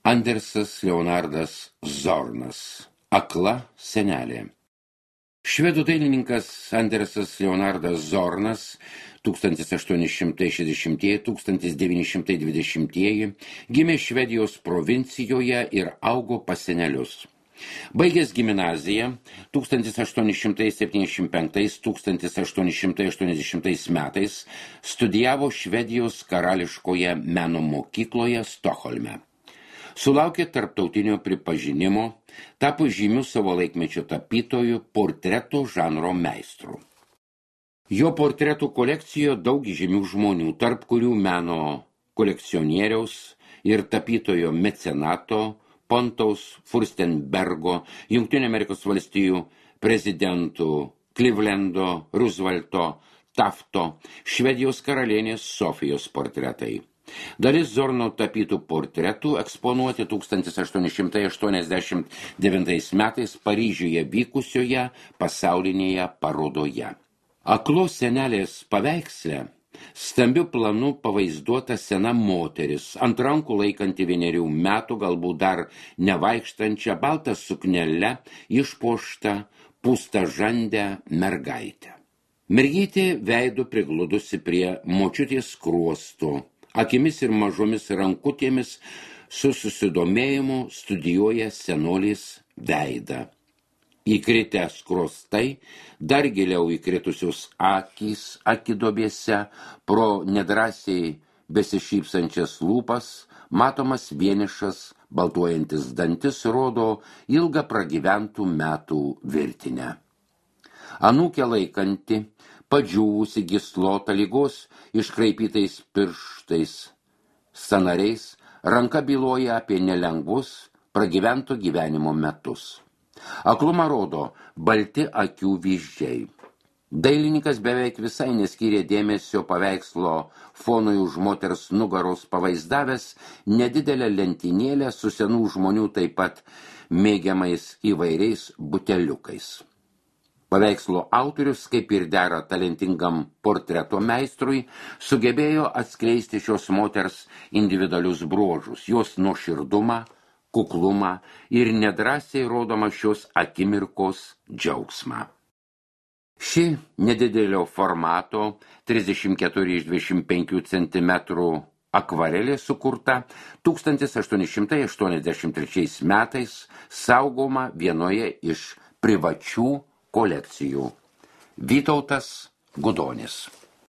Andersas Leonardas Zornas. Akla senelė. Švedų dailininkas Andersas Leonardas Zornas 1860–1920 gimė Švedijos provincijoje ir augo pas senelius. Baigęs gimnaziją 1875–1880 metais studijavo Švedijos karališkoje meno mokykloje Stokholme. Sulaukė tarptautinio pripažinimo, tapo žymiu savo laikmečio tapytojų portretų žanro meistru. Jo portretų kolekcijoje daug žymių žmonių, tarp kurių meno kolekcionieriaus ir tapytojo mecenato Pontaus Furstenbergo, Jungtinių Amerikos valstijų prezidentų Clevelando, Roosevelto, Tafto, Švedijos karalienės Sofijos portretai. Dalis Zorno tapytų portretų eksponuoti 1889 metais Paryžiuje vykusioje pasaulinėje parodoje. Aklos senelės paveiksle stambiu planu pavaizduota sena moteris, ant rankų laikanti 1 metų, galbūt dar nevaikštančią baltą suknelę, išpuoštą pūstažandę mergaitę. Mergytė veidu prigludusi prie močiutės skruostų, akimis ir mažomis rankutėmis su susidomėjimu studijuoja senolės veidą. Įkritę skruostai, dar giliau įkritusios akys akidobėse, pro nedrąsiai besišypsančias lūpas, matomas vienišas, baltuojantis dantis rodo ilgą pragyventų metų virtinę. Anūkė laikanti, padžiūvusi gyslotą lygos iškraipytais pirštais, sąnariais, ranka byloja apie nelengvus pragyvento gyvenimo metus. Aklumą rodo balti akių vyzdžiai. Dailininkas beveik visai neskyrė dėmesio paveikslo fonui už moters nugaros pavaizdavęs nedidelę lentynėlę su senų žmonių taip pat mėgiamais įvairiais buteliukais. Paveikslo autorius, kaip ir dera talentingam portreto meistrui, sugebėjo atskleisti šios moters individualius bruožus, jos nuoširdumą, kuklumą ir nedrąsiai rodomą šios akimirkos džiaugsmą. Ši nedidelio formato 34x25 cm akvarelė sukurta 1883 metais, saugoma vienoje iš privačių kolekcijų. Vytautas Gudonis.